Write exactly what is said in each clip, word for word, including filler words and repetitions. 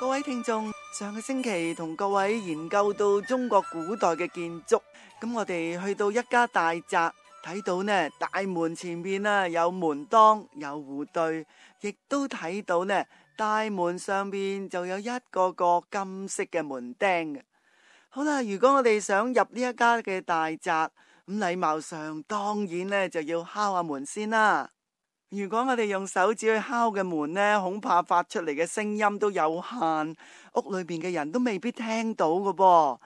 各位聽眾，上個星期同各位研究到中國古代嘅建築，咁我哋去到一家大宅，睇到呢大門前面啊有門當有戶對，亦都睇到呢大門上面就有一個個金色嘅門釘嘅。好啦，如果我哋想入呢一家嘅大宅，咁禮貌上當然呢就要敲下門先啦。如果我哋用手指去敲嘅門呢，恐怕發出嚟嘅聲音都有限，屋裏邊嘅人都未必聽到㗎噃。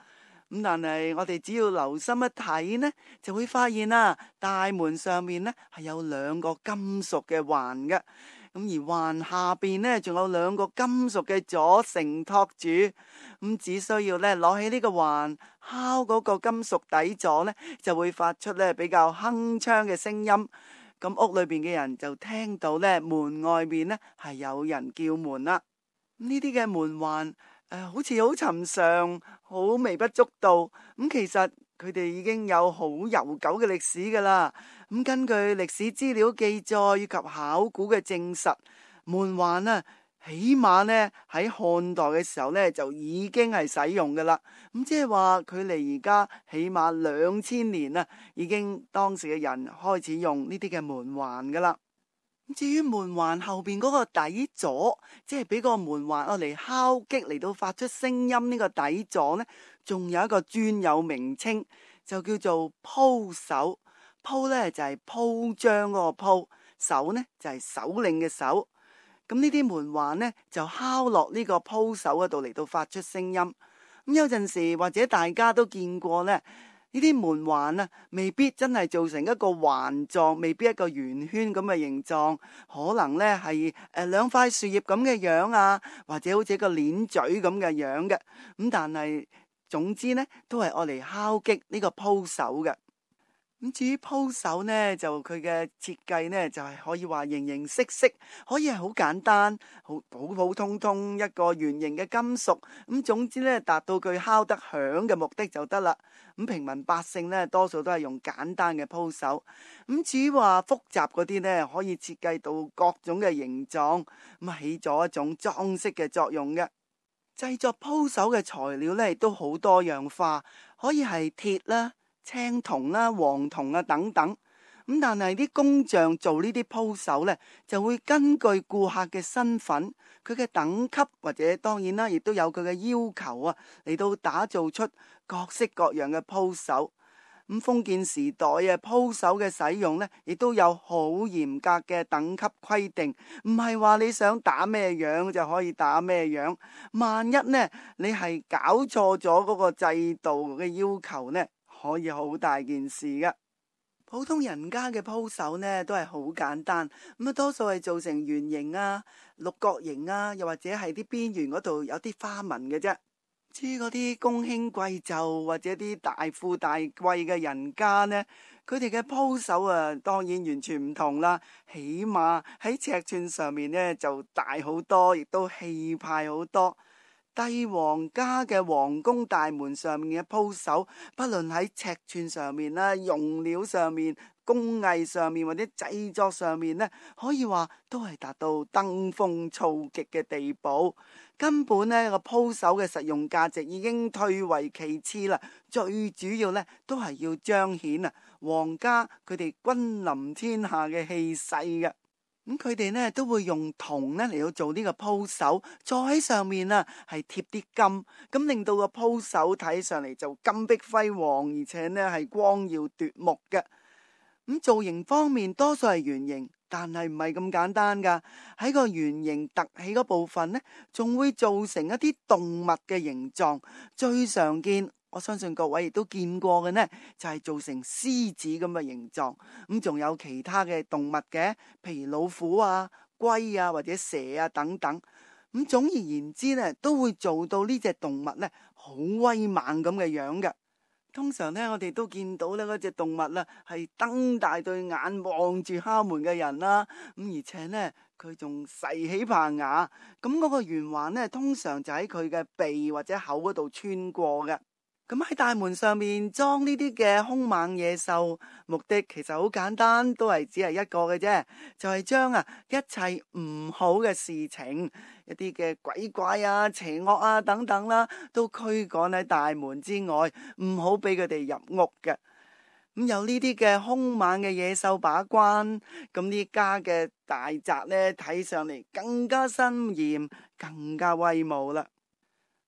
咁但係我哋只要留心一睇呢，就會發現啦，大門上面呢係有兩個金屬嘅環嘅，咁而環下邊呢仲有兩個金屬嘅座承托住，咁只需要呢攞起呢個環敲嗰個金屬底座呢，就會發出呢比較鏗鏘嘅聲音。咁屋裏邊嘅人就聽到咧，門外面咧係有人叫門啦。呢啲嘅門環誒、呃，好似好尋常，好微不足道。咁、嗯、其實佢哋已經有好悠久嘅歷史噶啦。咁、嗯、根據歷史資料記載以及考古嘅證實，門環啊，起碼呢喺漢代嘅時候呢就已經係使用噶啦。咁即係話距離而家起碼兩千年啦，已經當時嘅人開始用呢啲嘅門環噶啦。至於門環後邊嗰個底座，即係俾個門環我嚟敲擊嚟到發出聲音呢個底座呢，仲有一個專有名稱，就叫做鋪首。鋪呢就係鋪張嗰個鋪，首呢就係首領嘅首。咁呢啲門環呢，就敲落呢個鋪首嗰度嚟到發出聲音。咁有陣時或者大家都見過呢，呢啲門環啊，未必真係做成一個環狀，未必一個圓圈咁嘅形狀，可能呢係誒兩塊樹葉咁嘅樣啊，或者好似一個鏈嘴咁嘅樣嘅。咁但係總之呢，都係愛嚟敲擊呢個鋪首嘅。咁至於鋪首呢，就佢嘅設計呢，就係可以話形形色色，可以係好簡單，好普普通通一個圓形嘅金屬。咁總之呢，達到佢敲得響嘅目的就得啦。咁平民百姓呢，多數都係用簡單嘅鋪首。咁至於話複雜嗰啲呢，可以設計到各種嘅形狀，咁起咗一種裝飾嘅作用嘅。製作鋪首嘅材料呢，亦都好多樣化，可以係鐵啦、青銅啦、黃銅啊等等。咁但係啲工匠做呢啲鋪首呢，就會根據顧客嘅身份、佢嘅等級或者當然啦，亦都有佢嘅要求啊，嚟到打造出各式各樣嘅鋪首。咁封建時代啊，鋪首嘅使用呢，亦都有好嚴格嘅等級規定，唔係話你想打咩樣就可以打咩樣。萬一呢，你係搞錯咗嗰個制度嘅要求呢，可以好大件事㗎。普通人家嘅鋪首呢，都係好簡單，咁啊多數係做成圓形啊、六角形啊，又或者係啲邊緣嗰度有啲花紋嘅啫。至於嗰啲公卿貴胄或者啲大富大貴嘅人家呢，佢哋嘅鋪首啊，當然完全唔同啦。起碼喺尺寸上面呢，就大好多，亦都氣派好多。帝王家嘅皇宮大門上面嘅鋪首，不論喺尺寸上面啦、用料上面、工藝上面或者製作上面呢，可以話都係達到登峰造極嘅地步。根本呢個鋪首嘅實用價值已經退為其次啦，最主要呢都係要彰顯啊皇家佢哋君臨天下嘅氣勢嘅。咁佢哋呢都會用銅呢嚟到做呢個鋪首，再喺上面啊係貼啲金，咁令到個鋪首睇上嚟就金碧輝煌，而且呢係光耀奪目嘅。咁造型方面多數係圓形，但係唔係咁簡單噶。喺個圓形凸起嗰部分呢，仲會做成一啲動物嘅形狀。最常見，我相信各位亦都見過嘅呢，就係做成獅子咁嘅形狀。咁仲有其他嘅動物嘅，譬如老虎啊、龜啊或者蛇啊等等。咁總而言之呢，都會做到呢隻動物呢好威猛咁嘅樣嘅。通常呢，我哋都見到呢嗰隻動物啦，係瞪大對眼望住敲門嘅人啦。咁而且呢，佢仲噬起棚牙。咁嗰個圓環呢，通常就喺佢嘅鼻或者口嗰度穿過嘅。咁喺大門上面裝呢啲嘅兇猛野獸，目的其實好簡單，都係只係一個嘅啫，就係將啊一切唔好嘅事情，一啲嘅鬼怪啊、邪惡啊等等啦，都驅趕喺大門之外，唔好俾佢哋入屋嘅。咁有呢啲嘅兇猛嘅野獸把關，咁呢家嘅大宅呢，睇上嚟更加森嚴，更加威武啦。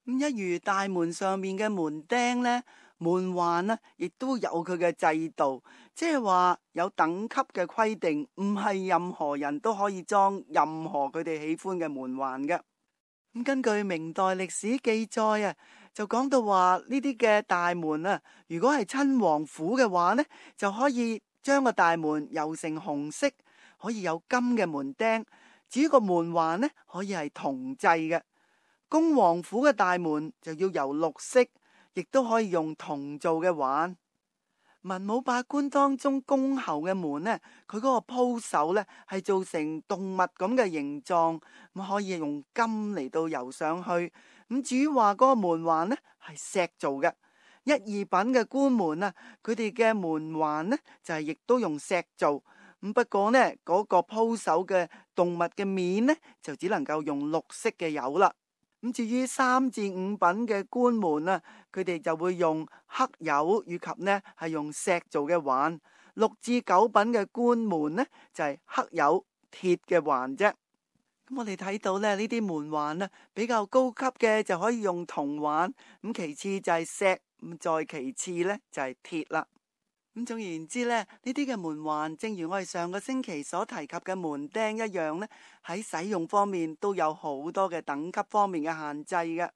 咁一如大門上面嘅門釘呢，門環呢亦都有佢嘅制度，即係話有等級嘅規定，唔係任何人都可以裝任何佢哋喜歡嘅門環嘅。咁根據明代歷史記載啊，就講到話呢啲嘅大門啊，如果係親王府嘅話呢，就可以將個大門油成紅色，可以有金嘅門釘。至於個門環呢，可以係銅製嘅。恭王府嘅大門就要由綠色，亦都可以用銅做嘅環。文武百官當中恭候嘅門呢，佢嗰個鋪手呢係做成動物咁嘅形狀，咁可以用金嚟到油上去。咁至於話嗰個門環呢係石做嘅，一二品嘅官門啊，佢哋嘅門環呢就係亦都用石做。咁不過呢嗰個鋪手嘅動物嘅面呢就只能夠用綠色嘅油啦。咁至於三至五品嘅官門啊，佢哋就會用黑油以及呢係用石做嘅環。六至九品嘅官門呢就係黑油鐵嘅環啫。咁我哋睇到咧呢啲門環啊，比較高級嘅就可以用銅環，咁其次就係石，咁再其次呢就係鐵啦。咁總言之咧，呢啲嘅門環，正如我哋上個星期所提及嘅門釘一樣呢，喺使用方面都有好多嘅等級方面嘅限制嘅。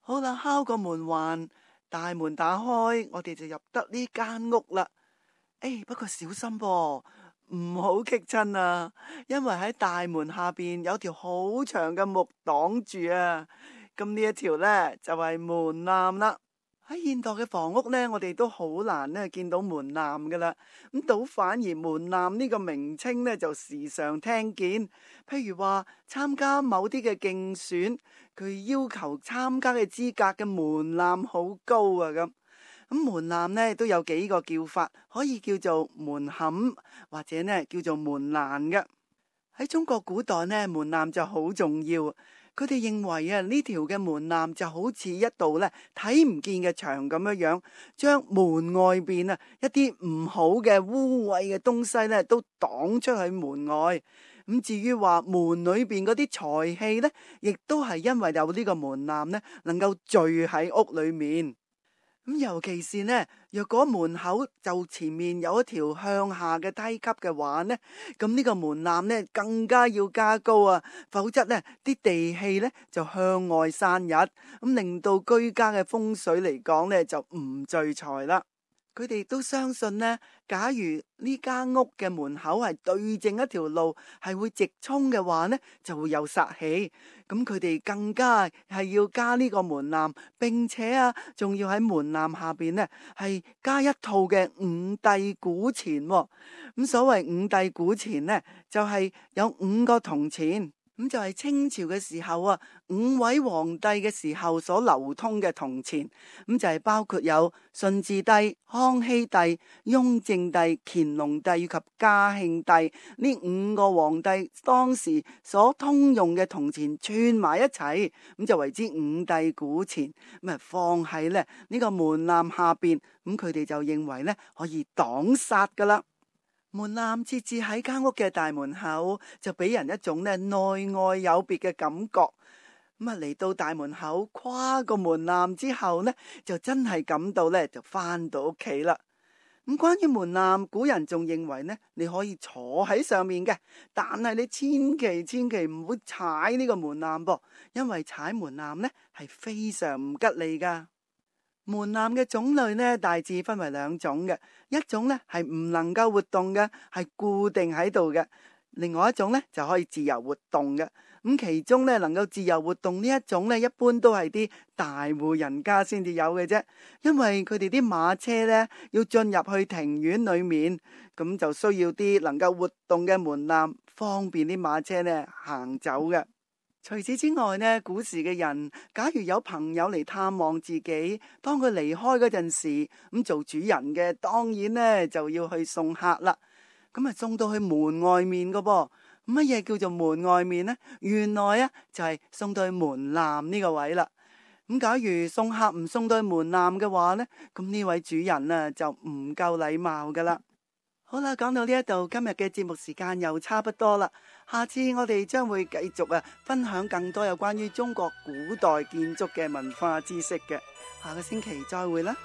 好啦，敲個門環，大門打開，我哋就入得呢間屋啦。誒，不過小心噃，唔好棘親啊，因為喺大門下邊有條好長嘅木擋住啊。咁呢一條呢，就係門檻啦。喺現代嘅房屋呢，我哋都好難呢見到門檻噶啦，咁倒反而門檻呢個名稱呢，就時常聽見。譬如話參加某啲嘅競選，佢要求參加嘅資格嘅門檻好高啊，咁咁門檻呢都有幾個叫法，可以叫做門檻或者呢叫做門欄嘅。喺中國古代呢，門檻就好重要。佢哋認為啊，呢條嘅門檻就好似一道咧睇唔見嘅牆咁樣樣，將門外邊啊一啲唔好嘅污穢嘅東西咧都擋出去門外。咁至於話門裏邊嗰啲財氣咧，亦都係因為有呢個門檻咧，能夠聚喺屋裏面。咁尤其是呢，若果門口就前面有一條向下嘅梯級嘅話呢，咁呢個門檻呢更加要加高啊，否則呢啲地氣呢就向外散逸，咁令到居家嘅風水嚟講呢就唔聚財啦。佢哋都相信呢，假如呢間屋嘅門口係對正一條路，係會直衝嘅話呢，就會有煞氣。咁佢哋更加係要加呢個門檻，並且啊，仲要喺門檻下邊呢係加一套嘅五帝古錢。咁所謂五帝古錢呢，就係有五個銅錢。咁就係清朝嘅時候啊，五位皇帝嘅時候所流通嘅銅錢，咁就係包括有順治帝、康熙帝、雍正帝、乾隆帝以及嘉慶帝呢五個皇帝當時所通用嘅銅錢串埋一齊，咁就為之五帝古錢，咁啊放喺咧呢個門檻下邊，咁佢哋就認為咧可以擋煞噶啦。門檻設置喺間屋嘅大門口，就俾人一種咧內外有別嘅感覺。咁啊嚟到大門口，跨個門檻之後呢，就真係感到咧就翻到屋企啦。咁關於門檻，古人仲認為呢，你可以坐喺上面嘅，但係你千祈千祈唔好踩呢個門檻噃，因為踩門檻呢係非常唔吉利噶。門檻嘅種類呢，大致分為兩種嘅，一種呢係唔能夠活動嘅，係固定喺度嘅；另外一種呢就可以自由活動嘅。咁其中呢能夠自由活動呢一種呢，一般都係啲大戶人家先至有嘅啫，因為佢哋啲馬車呢要進入去庭院裏面，咁就需要啲能夠活動嘅門檻，方便啲馬車呢行走嘅。除此之外呢，古時嘅人假如有朋友嚟探望自己，當佢離開嗰陣時，咁做主人嘅當然呢就要去送客啦。咁啊送到去門外面噶噃。乜嘢叫做門外面呢？原來啊就係送到去門檻呢個位啦。咁假如送客唔送到去門檻嘅話呢，咁呢位主人啊就唔夠禮貌噶啦。好啦，講到呢一度，今日嘅節目時間又差不多啦。下次我哋將會繼續啊，分享更多有關於中國古代建築嘅文化知識嘅。下個星期再會啦。